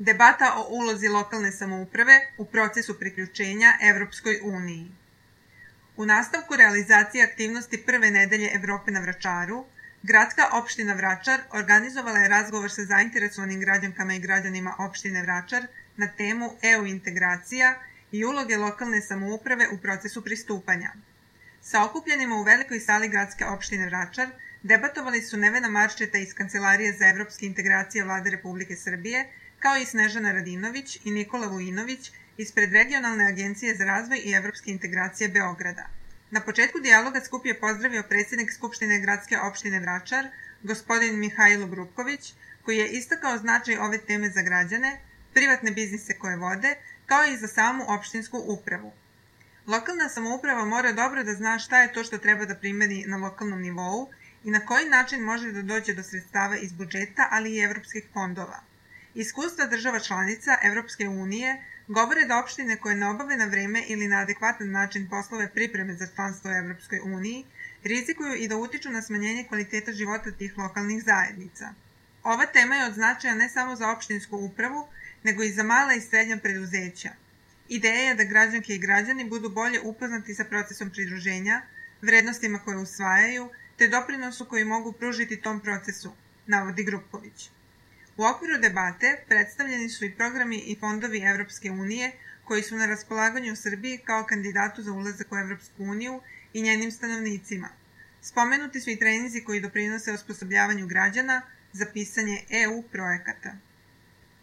Debata o ulozi lokalne samouprave u procesu priključenja Evropskoj uniji. U nastavku realizacije aktivnosti prve nedelje Evrope na Vračaru, Gradska opština Vračar organizovala je razgovor sa zainteresovanim građankama i građanima opštine Vračar na temu EU integracija i uloge lokalne samouprave u procesu pristupanja. Sa okupljenima u velikoj sali Gradske opštine Vračar debatovali su Nevena Marčeta iz Kancelarije za evropske integracije Vlade Republike Srbije, kao i Snežana Radinović i Nikola Vujinović ispred Regionalne agencije za razvoj i evropske integracije Beograda. Na početku dijaloga skup je pozdravio predsjednik Skupštine Gradske opštine Vračar, gospodin Mihajlo Grupković, koji je istakao značaj ove teme za građane, privatne biznise koje vode, kao i za samu opštinsku upravu. Lokalna samouprava mora dobro da zna šta je to što treba da primeni na lokalnom nivou i na koji način može da dođe do sredstava iz budžeta, ali i evropskih fondova. Iskustva država članica Evropske unije govore da opštine koje ne obave na vreme ili na adekvatan način poslove pripreme za članstvo u Evropskoj uniji rizikuju i da utiču na smanjenje kvaliteta života tih lokalnih zajednica. Ova tema je od značaja ne samo za opštinsku upravu, nego i za mala i srednja preduzeća. Ideja je da građanke i građani budu bolje upoznati sa procesom pridruženja, vrednostima koje usvajaju, te doprinosu koji mogu pružiti tom procesu, navodi Grupković. U okviru debate predstavljeni su i programi i fondovi Evropske unije koji su na raspolaganju u Srbiji kao kandidatu za ulazak u Evropsku uniju i njenim stanovnicima. Spomenuti su i treninzi koji doprinose osposobljavanju građana za pisanje EU projekata.